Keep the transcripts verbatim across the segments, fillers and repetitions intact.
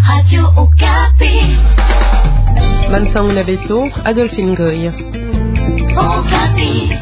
Radio Okapi. Bansangu na beto, Adolphine Goy. Okapi.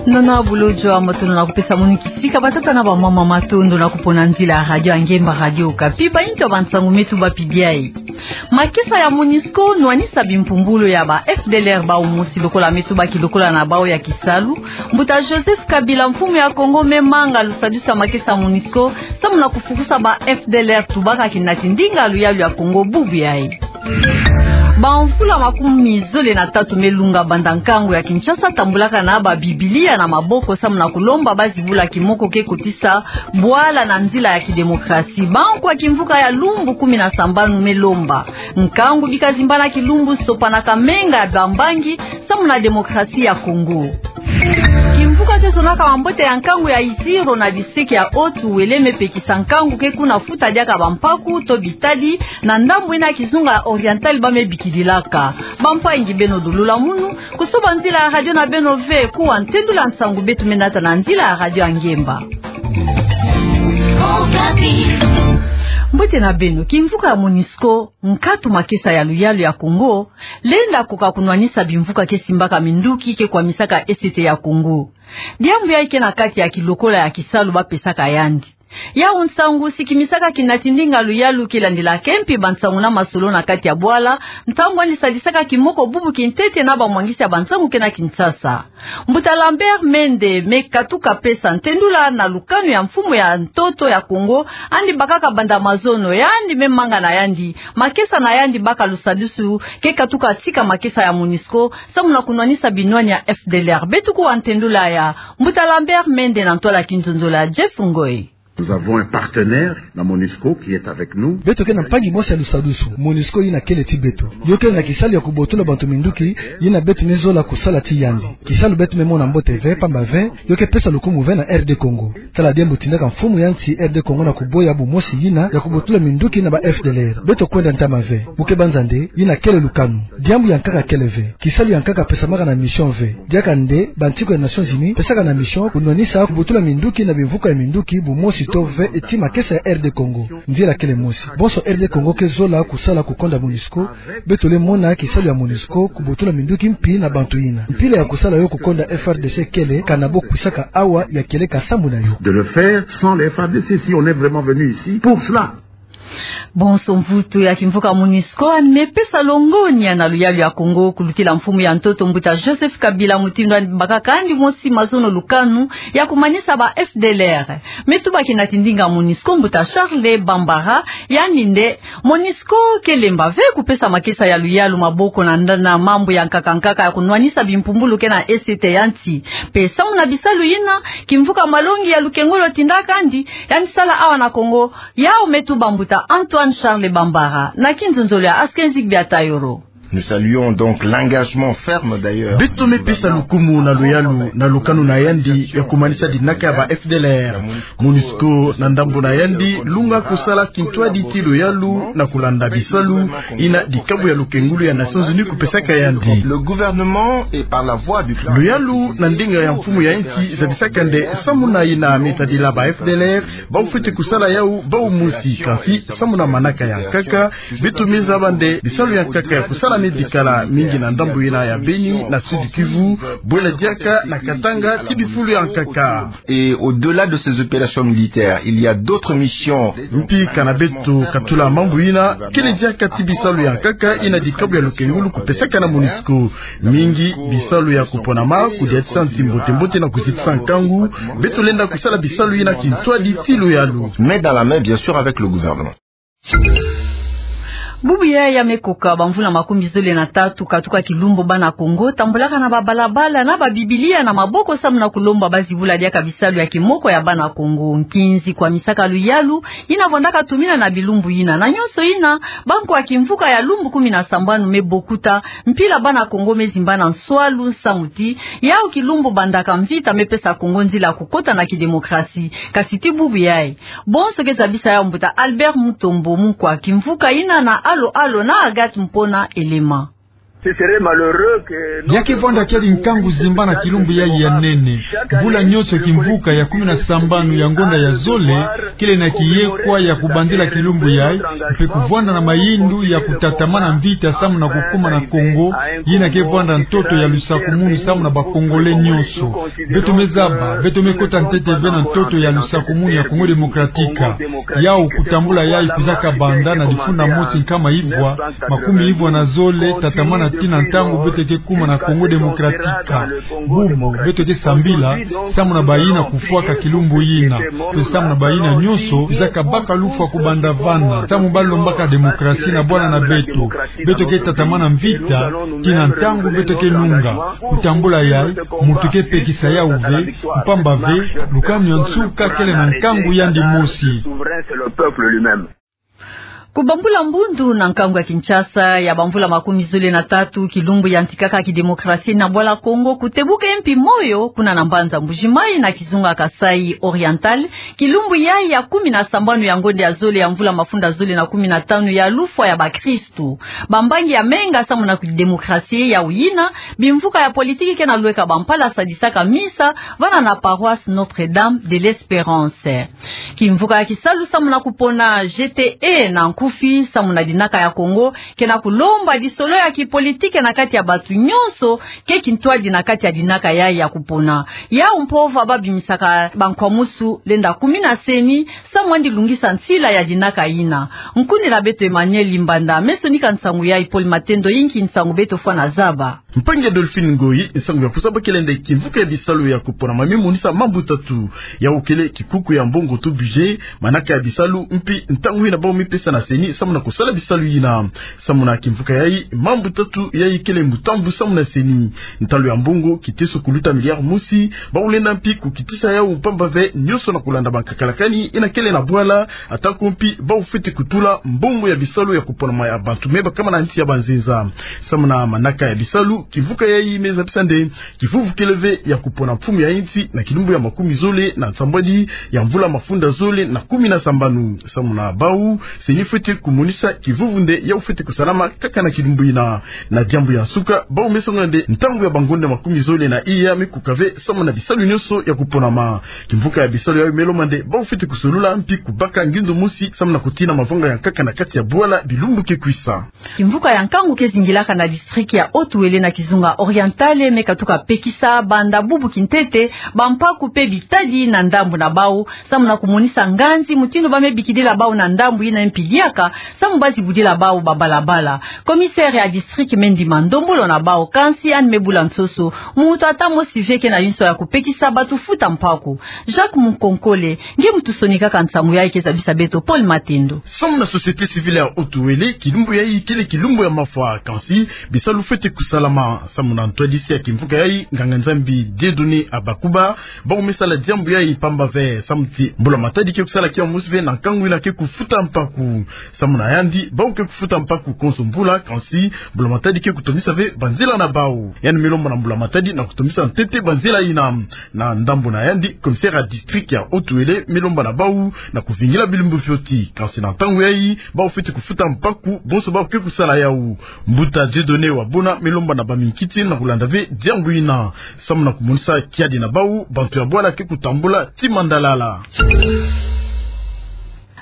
Nana bulo jwa matondo na kupesa munu kisika, batata na bamama, matondo na kupona nzila ya radio ya ngemba, Radio Okapi. Bayintu ya bansangu, metuba pi biai. Makesa ya MONUSCO nwanisa bimpumbulu ya ba F D L R bawu mosi lokola metuba ki lokola na bawu ya kisalu. Mbuta Joseph Kabila, mfumu ya Kongo, me manga lusadusu ya makesa ya MONUSCO, samu na kufukusa ba F D L R tubaka kinati ndinga luyalu ya Kongo bubu yayi. Bamvula makumi zole na tatu me lunga banda nkangu ya Kinshasa tambulaka na ba Bibilia na maboko samu na kulomba bazibula kimoko ke kotisa bwala na nzila ya kidemokrasi. Bankwa kimvuka ya lumbu kumi na sambanu me lomba nkangu bika zimbana kilumbu, sopanaka menga ya bambangi samu na demokrasi ya Kongo. Kimvuka ke zonaka mambote ya nkangu ya Isiro na district ya Haut-Uele me pekisa nkangu ke kuna futa diaka bampaku to bitadi na ndambu yina ya kizunga ya Oriental ba me bikililaka. Bampangi, beno lulula munu, kusoba nzila ya radio na beno ve, kuwa ntendula nsangu beto me nata na nzila ya radio ya ngemba. Mbote na beno. Kimvuka ya MONUSCO, nkatu makesa ya luyalu ya Kongo, lenda koka kunwanisa bimvuka ke simbaka minduki ke kwamisaka E C T ya Kongo. Diambu yayi ke na kati ya kilokola ya kisalu ba pesaka yandi. Yawu nsangu sikimisaka kinati ndinga luyalu ke landilaka mpi bansangu na masolo na kati ya bwala, ntangu yandi sadisaka kimoko bubu kintete na bamwangisi ya bansangu ke na Kinshasa. Mbuta Lambert Mende me katuka pesa ntendula na lukanu ya mfumu ya ntoto ya Kongo, yandi bakaka banda mazono, yandi me manga na yandi, makesa na yandi baka lusadusu ke katuka tika makesa ya MONUSCO, samu na kunwanisa binwani ya F D L R. Beto kuwa ntendula ya Mbuta Lambert Mende na ntwala kinzonzolo ya Jeff Ngoy. Nous avons un partenaire, la MONUSCO, qui est avec nous. Beto ke na mpangi mosi ya lusadusu, MONUSCO, yina kele ti beto. Yo kele na kisalu ya kubotula bantu minduki, yina beto me zola kusala ti yandi. Kisalu beto me mona mbote ve, pamba ve, yo ke pesa lukumu ve na R D Congo. Tala diambu tindaka mfumu ya nsi R D Congo na kuboya bumosi yina ya kubotula minduki na ba F D L R. Beto kwenda ntama ve. Mu ke banza nde, yina kele lukanu. Diambu ya nkaka kele ve. Kisalu ya nkaka pesamaka na mission ve. Diaka nde, bantiku ya Nations Unies pesaka na mission kunwanisa kubotula minduki na bimvuka ya minduki bumosi to ve ti makesa ya R D Congo. Nzila kele mosi. Bonso R D Congo ke zola kusala kukonda MONUSCO, beto le mona kisalu ya MONUSCO kubotula minduki mpi na bantu yina. Mpila ya kusala yo kukonda F R D C kele, kana bo kwisaka awa ya kieleka sambu na yo. De le faire sans les F R D C, si on est vraiment venu ici pour cela. Bonso mvutu ya kimvuka MONUSCO yandi me pesa longonya na luyalu ya Kongo kulutila mfumu ya ntoto mbuta Joseph Kabila, mutindu yandi bakaka yandi mosi mazono lukanu ya kumanisa ba F D L R. Me tuba kinati ndinga MONUSCO, mbuta Charles Bambara, yandi nde, MONUSCO ke lemba ve kupesa makesa ya luyalu maboko na nda-, na mambu ya nkaka nkaka ya kunwanisa bimpumbulu ke na E C T ya nsi. Mpe samu na bisalu yina, kimvuka malongi ya lukengolo tindaka yandi, yandi sala awa na Kongo, yawu me tuba mbuta Antoine Charles Bambara, na kinzonzolo ya Askenzik Biatayoro. Nous saluons donc l'engagement ferme d'ailleurs. Beto me pesa lukumu na luyalu na lukanu na yandi ya kumanisa dinaka ya ba F D L R. MONUSCO na ndambu na yandi lunga kusala kintwadi ti luyalu na kulanda bisalu yina dikabu ya lukengulu ya Nations Unies kupesaka yandi. Le gouvernement et par la voix du clan. Luyalu na ndinga ya mfumu ya nsi zabisaka nde samu na yina me tadila ba F D L R, bawu fweti kusala yawu bawu mosi, kansi samu na manaka ya nkaka, beto me zaba nde bisalu ya nkaka ya kusala me bikala mingi na ndambu yina ya Beni, na Sud-Kivu, bwela diaka na Katanga, ti bifulu ya nkaka. Et au-delà de ces opérations militaires, il y a d'autres missions. Mpi kana beto katula mambu yina, kele diaka ti bisalu ya nkaka yina dikabu ya lukengulu kupesaka na MONUSCO. Mingi bisalu ya kuponama, kudiatisa nsi mbote mbote na kuzitisa nkangu, beto lenda kusala bisalu yina kintwadi ti luyalu. Mais dans la main, bien sûr, avec le gouvernement. Bubu ya, ya me koka bamvula makumi zole na tatu katuka kilumbu bana Kongo tambulaka na babalabala na ba Bibilia na maboko samu na kulomba bazibula diaka bisalu ya kimoko ya bana Kongo. Nkinzi kwamisaka luyalu yina vandaka tumina na bilumbu yina. Na nyonso yina, bankwa kimvuka ya lumbu kumi na sambanu me bokuta, mpila bana Kongo me zimbana nswalu nsamu ti yawu kilumbu bandaka mvita me pesa Kongo nzila ya kukota na kidemokrasi. Kasi ti bubu yayi, bonso ke zabisa yawu mbuta Albert Mutombo, munkwa kimvuka yina na Alo Alo na Agathe Mpona Elema. Ya ke vwanda kiadi nkangu zimba na kilumbu yayi ya nene. Mvula nyonso kimvuka ya kumi na sambanu ya ngonda ya zole kele na kiyekwa ya kubandila kilumbu yayi, mpe kuvwanda na mayindu ya kutatamana mvita samu na kukuma na Kongo, yina ke vwanda ntoto ya lusakumunu samu na ba Congolais nyonso. Beto me zaba, beto me kota ntete ve na ntoto ya lusakumunu ya Congo Démocratique. Yawu kutambula yayi kwiza kabanda na difunda mosi nkama ivwa, makumi ivwa na zole, tatamana tii na ntangu beto ke kuma na Congo Démocratique. Bubu, beto ke sambila, samu na bayina kufwaka kilumbu yina. Mpe samu na bayina nyonso, kwiza kabaka lufwa kubanda vana. Samu balombaka démocratie na bwala na beto. Beto ke tatamana mvita, tii na ntangu beto ke nunga. Kutambula yayi, muntu ke pekisa yawu ve, mpamba ve, lukanu ya nsuka kele na nkangu yandi mosi. Kubambula mbundu na nkangu ya Kinshasa ya bamvula makumi zole na tatu, kilumbu yantikaka kidémocratie na bwala Kongo, kutebuka mpi moyo kuna na mbanza Mbuji-Mayi na kizunga Kasaï Oriental, kilumbu yayi ya kumi na sambanu ya ngonda ya zole ya mvula mafunda zole na kumi na tanu ya lufwa ya bakristu. Bambangi ya menga samu na kidémocratie yawu yina, bimvuka ya politiki ke na lweka bampala sadisaka misa vana na paroisse Notre-Dame de l'Espérance. Kimvuka ya kisalu samu na kupona G T E na nkufi samu na dinaka ya Kongo ke na kulomba disolo ya kipolitike na kati ya batu nyonso ke kintwadi na kati ya dinaka yayi ya kupona. Yawu mpova babimisaka bankwamusu lenda kumi na seni samu andi lungisa nsila ya dinaka yina. Nkundila beto Emmanuel Limbanda me sonika nsangu yayi. Paul Matendo yinki nsangu beto fwana zaba. Mpangi Adolphine Ngoyi, nsangu ya kusa bakele nde kimvuka ya bisalu ya kuponama me monisa mambu tatu. Yawu kele kikuku ya mbongo to budget, manaka ya bisalu, mpi ntangu yina bawu me pesa na seni samu na kusala bisalu yina. Samu na kimvuka yayi, mambu tatu yayi kele mutambu samu na seni. Ntalu ya mbongo kiteso kuluta milliard mosi, bawu lenda mpi kukitisa yawu mpamba ve nyonso na kulanda bankakalakani yina kele na bwala, atako mpi bawu fwete kutula mbongo ya bisalu ya kuponama ya bantu me bakama na nsi ya banzenza. Samu na manaka ya bisalu, kimvuka yayi me zabisa nde kivuvu kele ve ya kupona mfumu ya nsi na kilumbu ya makumi zole na nsambwadi ya mvula mafunda zole na kumi na sambanu. Samu na bawu, seni fwete kumonisa kivuvu nde yawu fwete kusalama kaka na kilumbu yina. Na diambu ya nsuka, bawu me songa nde ntangu ya bangonda makumi zole na iya me kuka ve samu na bisalu nyonso ya kuponama. Kimvuka ya bisalu yawu me lomba nde bawu fwete kusolula mpi kubaka ngindu mosi samu na kutina mavanga ya nkaka na kati ya bwala bilumbu ke kwisa. Kimvuka ya nkangu ke zingilaka na district ya Haut-Uélé na kizunga Oriental me katuka pekisa banda bubu kintete bampaku mpe bitadi na ndambu na bawu, samu na kumonisa nganzi mutindu ba me bikidila bawu na ndambu yina mpi diaka, samu ba zibudila bawu babalabala. Commissaire ya district me ndima ndombolo na bawu, kansi yandi me bula nsoso, muntu ata mosi ve ke na yinso ya kupekisa batu futa mpaku. Jacques Mukonkole nge mutusonikaka nsangu yayi, ke zabisa beto Paul Matendo. Samu na société civile ya Haut-Uélé, kilumbu yayi kele kilumbu ya mafwa, kansi bisalu fwete kusalama. Samu na ntwadisi ya kimvuka yayi, nganga-Nzambi Dieudonné Abakuba, bawu me sala diambu yayi mpamba ve, samu ti mbula-matadi ke kusala kiawu mosi ve na nkangu yina ke kufuta mpaku. Samu na yandi, bawu ke kufuta mpaku konso mvula, kansi mbula-matadi ke kutondisa ve banzila na bawu. Yandi me lomba na mbula-matadi na kutondisa ntete banzila yina. Na ndambu na yandi, commissaire ya district ya Haut-Uélé me lomba na bawu na kuvingila bilumbu fioti, kansi na ntangu yayi, bawu fwete kufuta mpaku bonso bawu ke kusala yawu. Mbuta Dieudonné Wabona me lomba na baminkiti na kulanda ve diambu yina, samu na kumonisa kiadi na bawu, bantu ya bwala ke kutambula ti mandalala.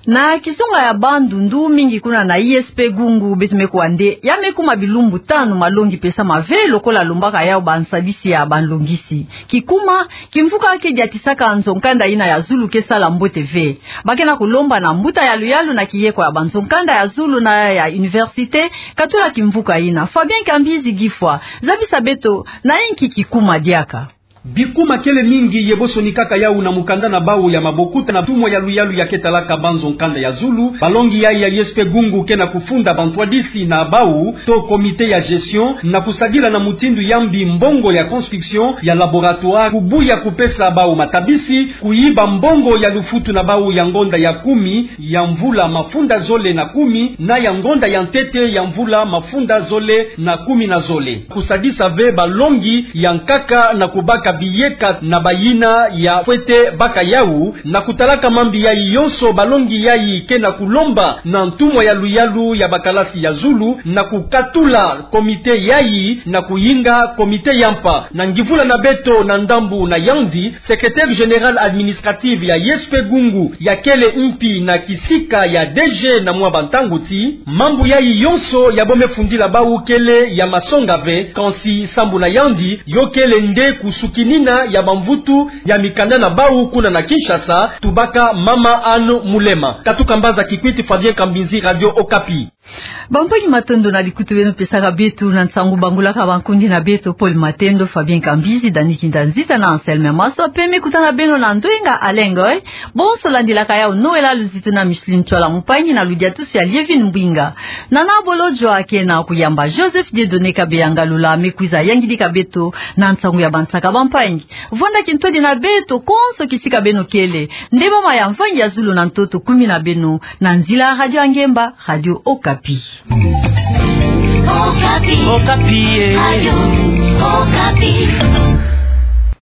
Na kizunga ya Bandundu, mingi kuna na I S P Gungu, beto me kuwa nde ya me kuma bilumbu tanu malongi pesama ve lokola lombaka yawu bansadisi ya banlongisi. Kikuma, kimvuka ke diatisaka nzo-nkanda yina ya zulu ke sala mbote ve. Ba ke na kulomba na mbuta yaluyalu na kiyekwa ya banzo-nkanda ya zulu na ya université katula kimvuka yina. Fabien Kambizi Gifwa, zabisa beto na yinki kikuma diaka. Bikuma kele mingi ye bo sonikaka yawu na mukanda na bawu ya mabokuta na ntumwa yaluyalu ya ke talaka banzo-nkanda ya zulu. Balongi yayi ya I S P Gungu ke na kufunda bantwadisi na bawu to comité ya gestion na kusadila na mutindu ya mbi mbongo ya construction ya laboratoire, kubuya kupesa bawu matabisi, kuyiba mbongo ya lufutu na bawu ya ngonda ya kumi ya mvula mafunda zole na kumi na ya ngonda ya ntete ya mvula mafunda zole na kumi na zole. Kusadisa ve balongi ya nkaka na kubaka biyeka na bayina ya fwete baka yawu. Na kutalaka mambi yayi yonso, balongi yayi ke na kulomba na ntumwa ya luyalu ya bakalasi ya zulu na kukatula komite yayi na kuyinga komite ya mpa. Na ngivula na beto na ndambu na yandi, secrétaire général administratif ya I S P Gungu, ya kele mpi na kisika ya D G na mwa bantangu ti, mambu yayi yonso ya bo me fundila bawu kele ya masonga ve, kansi sambu na yandi, yo kele nde kusukinina ya bamvutu ya mikanda na bawu kuna na Kinshasa. Tubaka Mama Anne Mulema. Katuka mbanza Kikwit, Fabien Kambinzi, Radio Okapi. Bampangi, matondo na likuti beno pesaka beto na nsangu bangulaka bankundi na beto, Paul Matendo, Fabien Kambinzi, Dani Kinda Nziza na Anselme Maswa, pe me kutana beno na ndwenga Alengoi. Bonso landilaka yawu Noëlla Luzitu na Micheline Ntwala Mpangi na ludiatusu ya Lievine Mbwinga. Nana Bolodjwa ke na kuyamba, Joseph Dieudonné Kabeyanga Lula me kwiza yangidika beto na nsangu ya bansaka bampangi. Vwanda kintwadi na beto konso kisika beno kele. Nde mama ya mvangi ya zulu na ntoto kumi na beno na nzila Radio Angemba, Radio Okapi. Okapi. Okapi, eh. Radio Okapi.